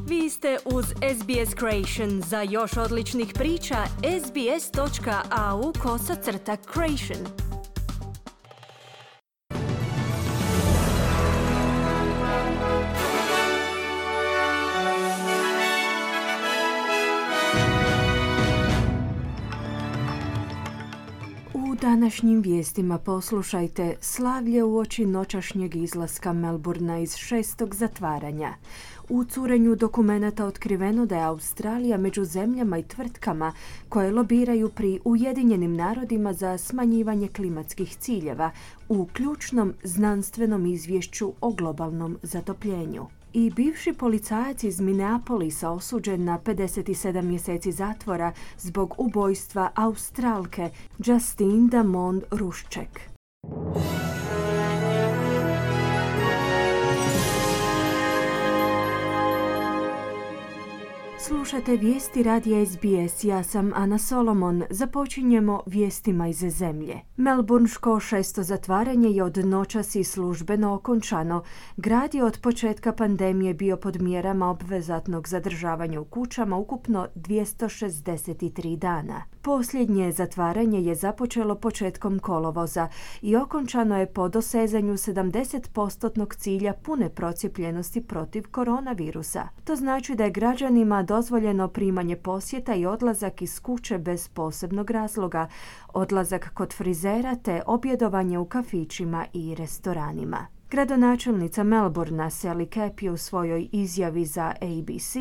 Vi ste uz SBS Creation. Za još odličnih priča, sbs.au/creation. U današnjim vijestima poslušajte slavlje uoči noćašnjeg izlaska Melbourna iz 6. zatvaranja. U curenju dokumenata otkriveno da je Australija među zemljama i tvrtkama koje lobiraju pri Ujedinjenim narodima za smanjivanje klimatskih ciljeva u ključnom znanstvenom izvješću o globalnom zatopljenju. I bivši policajac iz Minneapolisa osuđen na 57 mjeseci zatvora zbog ubojstva Australke Justine Damond Rušček. Slušate vijesti radija SBS, ja sam Ana Solomon. Započinjemo vijestima iz zemlje. Melbourneško 6. zatvaranje je od noćas i službeno okončano. Grad je od početka pandemije bio pod mjerama obvezatnog zadržavanja u kućama ukupno 263 dana. Posljednje zatvaranje je započelo početkom kolovoza i okončano je po dosezanju 70% cilja pune procijepljenosti protiv koronavirusa. To znači da je građanima dozvoljeno primanje posjeta i odlazak iz kuće bez posebnog razloga, odlazak kod frizera te objedovanje u kafićima i restoranima. Gradonačelnica Melbourna Sally Capp je u svojoj izjavi za ABC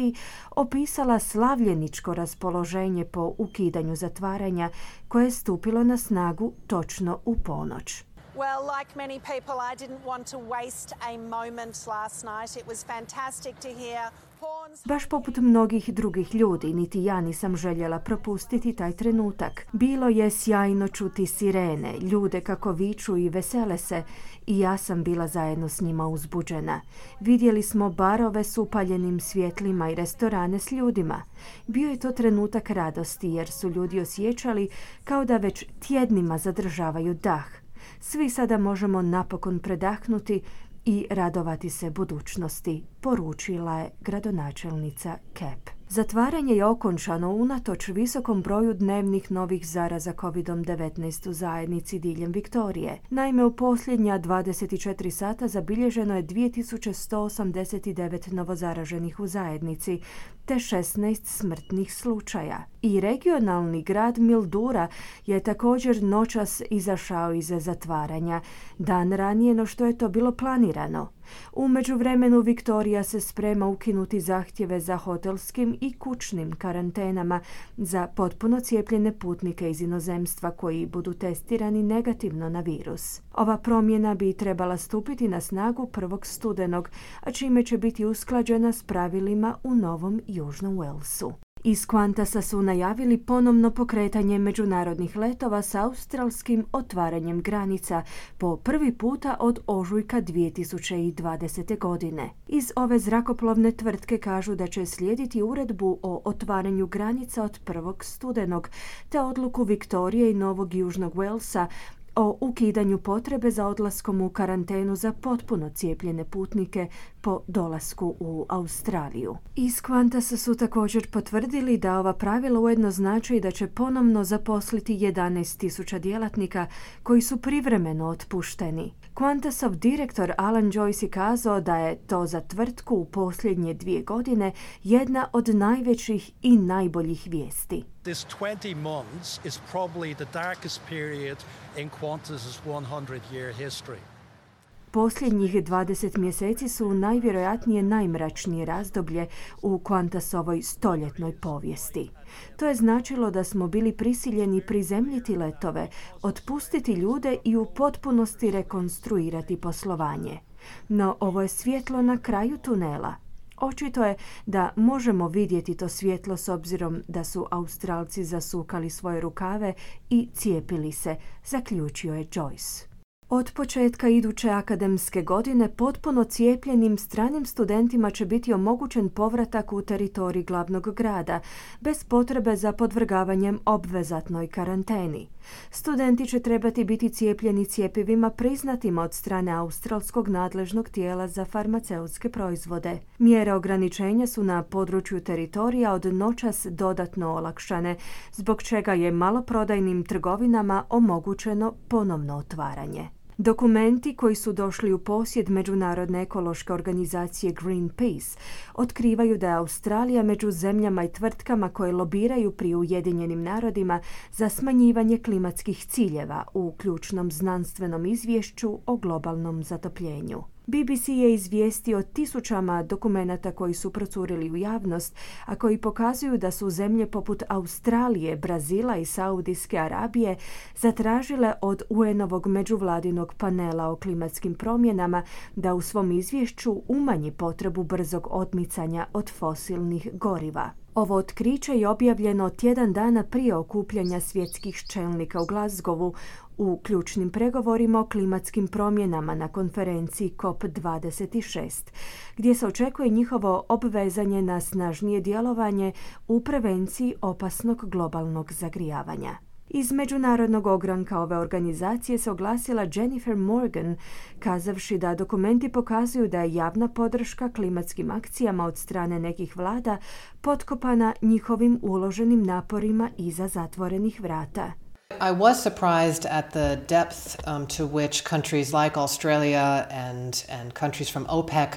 opisala slavljeničko raspoloženje po ukidanju zatvaranja koje je stupilo na snagu točno u ponoć. Well, like many people, I didn't want to waste a moment last night. It was fantastic to hear horns. Baš poput mnogih drugih ljudi, niti ja nisam željela propustiti taj trenutak. Bilo je sjajno čuti sirene, ljude kako viču i vesele se, i ja sam bila zajedno s njima uzbuđena. Vidjeli smo barove s upaljenim svjetlima i restorane s ljudima. Bio je to trenutak radosti jer su ljudi osjećali kao da već tjednima zadržavaju dah. Svi sada možemo napokon predahnuti i radovati se budućnosti, poručila je gradonačelnica Capp. Zatvaranje je okončano unatoč visokom broju dnevnih novih zaraza COVID-19 u zajednici diljem Viktorije. Naime, u posljednja 24 sata zabilježeno je 2189 novozaraženih u zajednici, te 16 smrtnih slučaja. I regionalni grad Mildura je također noćas izašao iz zatvaranja, dan ranije no što je to bilo planirano. U međuvremenu Viktorija se sprema ukinuti zahtjeve za hotelskim i kućnim karantenama za potpuno cijepljene putnike iz inozemstva koji budu testirani negativno na virus. Ova promjena bi trebala stupiti na snagu 1. studenog, a čime će biti usklađena s pravilima u Novom Južnom Walesu. Iz Qantasa su najavili ponovno pokretanje međunarodnih letova s australskim otvaranjem granica po prvi puta od ožujka 2020. godine. Iz ove zrakoplovne tvrtke kažu da će slijediti uredbu o otvaranju granica od 1. studenog te odluku Viktorije i Novog Južnog Walesa o ukidanju potrebe za odlaskom u karantenu za potpuno cijepljene putnike po dolasku u Australiju. Iz Qantasa su također potvrdili da ova pravila ujedno znači da će ponovno zaposliti 11.000 djelatnika koji su privremeno otpušteni. Qantasov direktor Alan Joyce je kazao da je to za tvrtku u posljednje 2 godine jedna od najvećih i najboljih vijesti. This 20 months is probably the darkest period in Qantas's 100-year history. Posljednjih 20 mjeseci su najvjerojatnije najmračnije razdoblje u Qantasovoj stoljetnoj povijesti. To je značilo da smo bili prisiljeni prizemljiti letove, otpustiti ljude i u potpunosti rekonstruirati poslovanje. No ovo je svjetlo na kraju tunela. Očito je da možemo vidjeti to svjetlo s obzirom da su Australci zasukali svoje rukave i cijepili se, zaključio je Joyce. Od početka iduće akademske godine potpuno cijepljenim stranim studentima će biti omogućen povratak u teritorij glavnog grada, bez potrebe za podvrgavanjem obvezatnoj karanteni. Studenti će trebati biti cijepljeni cjepivima priznatima od strane australskog nadležnog tijela za farmaceutske proizvode. Mjere ograničenja su na području teritorija od noćas dodatno olakšane, zbog čega je maloprodajnim trgovinama omogućeno ponovno otvaranje. Dokumenti koji su došli u posjed Međunarodne ekološke organizacije Greenpeace otkrivaju da je Australija među zemljama i tvrtkama koje lobiraju pri Ujedinjenim narodima za smanjivanje klimatskih ciljeva u ključnom znanstvenom izvješću o globalnom zatopljenju. BBC je izvijestio o tisućama dokumenata koji su procurili u javnost, a koji pokazuju da su zemlje poput Australije, Brazila i Saudijske Arabije zatražile od UN-ovog međuvladinog panela o klimatskim promjenama da u svom izvješću umanji potrebu brzog odmicanja od fosilnih goriva. Ovo otkriće je objavljeno tjedan dana prije okupljanja svjetskih čelnika u Glasgowu u ključnim pregovorima o klimatskim promjenama na konferenciji COP26, gdje se očekuje njihovo obvezanje na snažnije djelovanje u prevenciji opasnog globalnog zagrijavanja. Iz međunarodnog ogranka ove organizacije se oglasila Jennifer Morgan, kazavši da dokumenti pokazuju da je javna podrška klimatskim akcijama od strane nekih vlada potkopana njihovim uloženim naporima iza zatvorenih vrata. I was surprised at the depth to which countries like Australia and countries from OPEC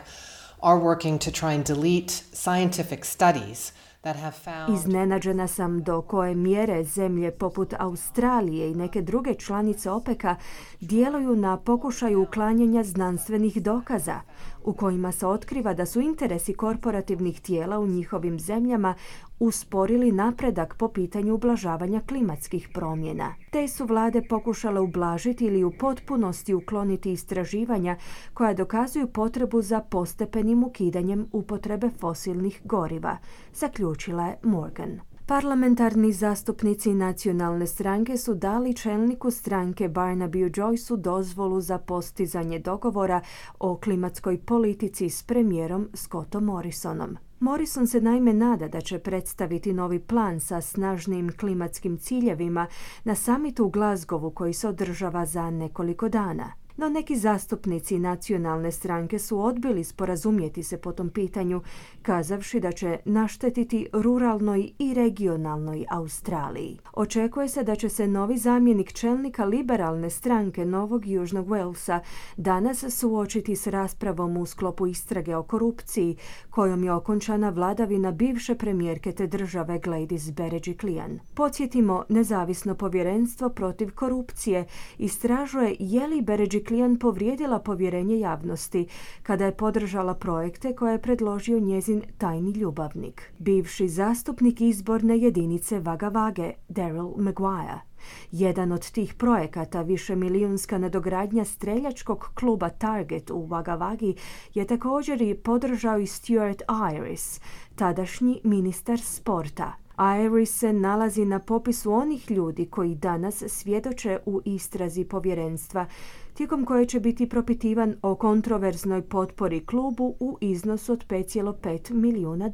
are working to try and delete scientific studies that have found... Iznenađena sam do koje mjere zemlje poput Australije i neke druge članice OPEC-a djeluju na pokušaju uklanjanja znanstvenih dokaza, u kojima se otkriva da su interesi korporativnih tijela u njihovim zemljama usporili napredak po pitanju ublažavanja klimatskih promjena. Te su vlade pokušale ublažiti ili u potpunosti ukloniti istraživanja koja dokazuju potrebu za postepenim ukidanjem upotrebe fosilnih goriva, zaključila je Morgan. Parlamentarni zastupnici nacionalne stranke su dali čelniku stranke Barnabyu Joyceu dozvolu za postizanje dogovora o klimatskoj politici s premijerom Scottom Morrisonom. Morrison se naime nada da će predstaviti novi plan sa snažnim klimatskim ciljevima na samitu u Glasgowu koji se održava za nekoliko dana. No neki zastupnici nacionalne stranke su odbili sporazumjeti se po tom pitanju, kazavši da će naštetiti ruralnoj i regionalnoj Australiji. Očekuje se da će se novi zamjenik čelnika liberalne stranke Novog Južnog Walesa danas suočiti s raspravom u sklopu istrage o korupciji, kojom je okončana vladavina bivše premijerke te države Gladys Berejiklian. Podsjetimo, nezavisno povjerenstvo protiv korupcije istražuje je li Berejiklian povrijedila povjerenje javnosti kada je podržala projekte koje je predložio njezin tajni ljubavnik, bivši zastupnik izborne jedinice Wagga Wagge, Daryl Maguire. Jedan od tih projekata, višemilijunska nadogradnja streljačkog kluba Target u Wagga Waggi, je također i podržao i Stuart Ayres, tadašnji ministar sporta. Ayres se nalazi na popisu onih ljudi koji danas svjedoče u istrazi povjerenstva, tijekom koje će biti propitivan o kontroverznoj potpori klubu u iznosu od $5,5 milijuna.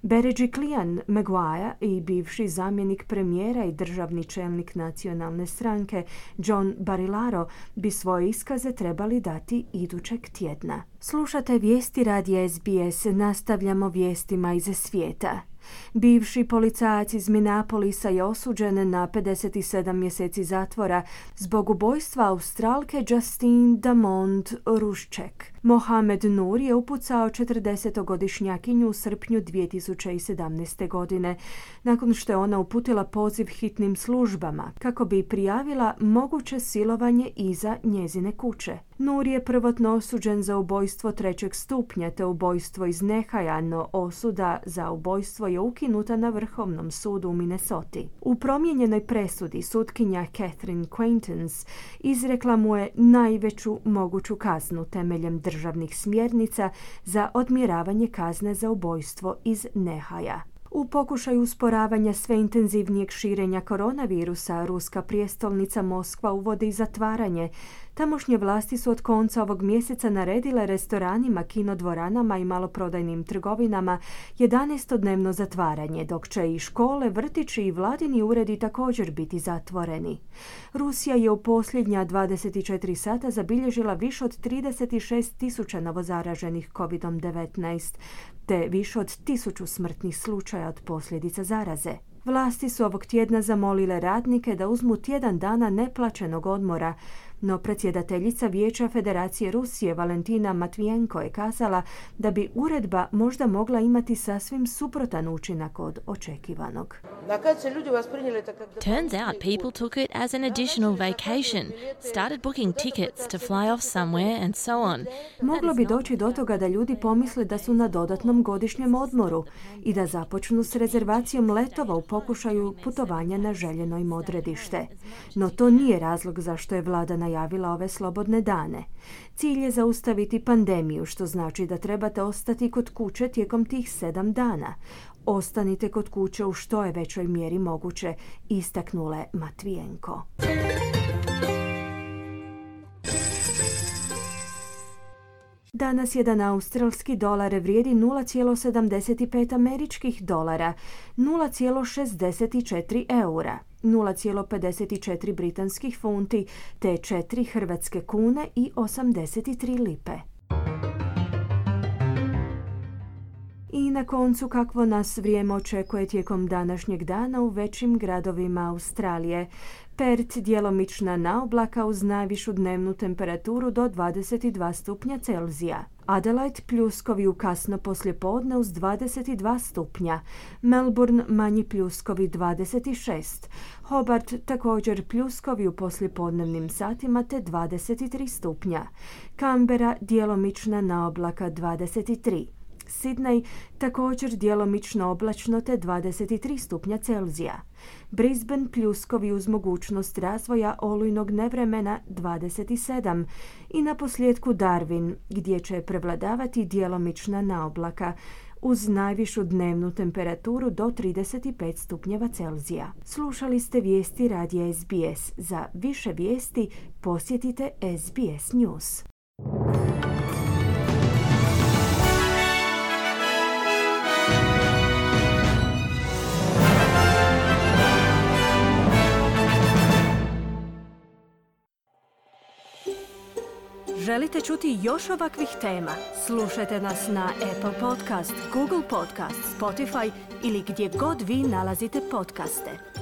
Berejiklian, Maguire i bivši zamjenik premijera i državni čelnik nacionalne stranke John Barilaro bi svoje iskaze trebali dati idućeg tjedna. Slušate vijesti radija SBS, nastavljamo vijestima iz svijeta. Bivši policajac iz Minneapolisa je osuđen na 57 mjeseci zatvora zbog ubojstva Australke Justine Damond Rushček. Mohamed Nur je upucao 40-godišnjakinju u srpnju 2017. godine, nakon što je ona uputila poziv hitnim službama kako bi prijavila moguće silovanje iza njezine kuće. Nur je prvotno osuđen za ubojstvo 3. stupnja te ubojstvo iz nehaja, no osuda za ubojstvo je ukinuta na Vrhovnom sudu u Minnesoti. U promijenjenoj presudi sutkinja Catherine Quaintance izrekla mu je najveću moguću kaznu temeljem državnih smjernica za odmjeravanje kazne za ubojstvo iz nehaja. U pokušaju usporavanja sve intenzivnijeg širenja koronavirusa, ruska prijestolnica Moskva uvodi zatvaranje. Tamošnje vlasti su od konca ovog mjeseca naredile restoranima, kinodvoranama i maloprodajnim trgovinama 11-dnevno zatvaranje, dok će i škole, vrtići i vladini uredi također biti zatvoreni. Rusija je u posljednja 24 sata zabilježila više od 36.000 novozaraženih COVID-19, te više od 1.000 smrtnih slučaja od posljedica zaraze. Vlasti su ovog tjedna zamolile radnike da uzmu tjedan dana neplaćenog odmora, no predsjedateljica Vijeća Federacije Rusije Valentina Matvijenko je kazala da bi uredba možda mogla imati sasvim suprotan učinak od očekivanog. Turns out people took it as an additional vacation, started booking tickets to fly off somewhere and so on. Moglo bi doći do toga da ljudi pomisle da su na dodatnom godišnjem odmoru i da započnu s rezervacijom letova u pokušaju putovanja na željeno im odredište. No to nije razlog zašto je vlada najavila ove slobodne dane. Cilj je zaustaviti pandemiju, što znači da trebate ostati kod kuće tijekom tih 7 dana. Ostanite kod kuće u što je većoj mjeri moguće, istaknule Matvijenko. Danas jedan australski dolar vrijedi 0,75 američkih dolara, 0,64 eura, 0,54 britanskih funti te 4 hrvatske kune i 83 lipe. I na koncu kakvo nas vrijeme očekuje tijekom današnjeg dana u većim gradovima Australije. Perth djelomična naoblaka uz najvišu dnevnu temperaturu do 22 stupnja Celzija. Adelaide pljuskovi u kasno poslijepodne uz 22 stupnja. Melbourne manji pljuskovi 26. Hobart također pljuskovi u poslijepodnevnim satima te 23 stupnja. Canberra djelomična naoblaka 23. Sydney također djelomično oblačno te 23 stupnja Celzija. Brisbane pljuskovi uz mogućnost razvoja olujnog nevremena 27 i na posljedku Darwin gdje će prevladavati djelomična naoblaka uz najvišu dnevnu temperaturu do 35 stupnjeva Celzija. Slušali ste vijesti radija SBS. Za više vijesti posjetite SBS News. Želite čuti još ovakvih tema? Slušajte nas na Apple Podcast, Google Podcast, Spotify ili gdje god vi nalazite podcaste.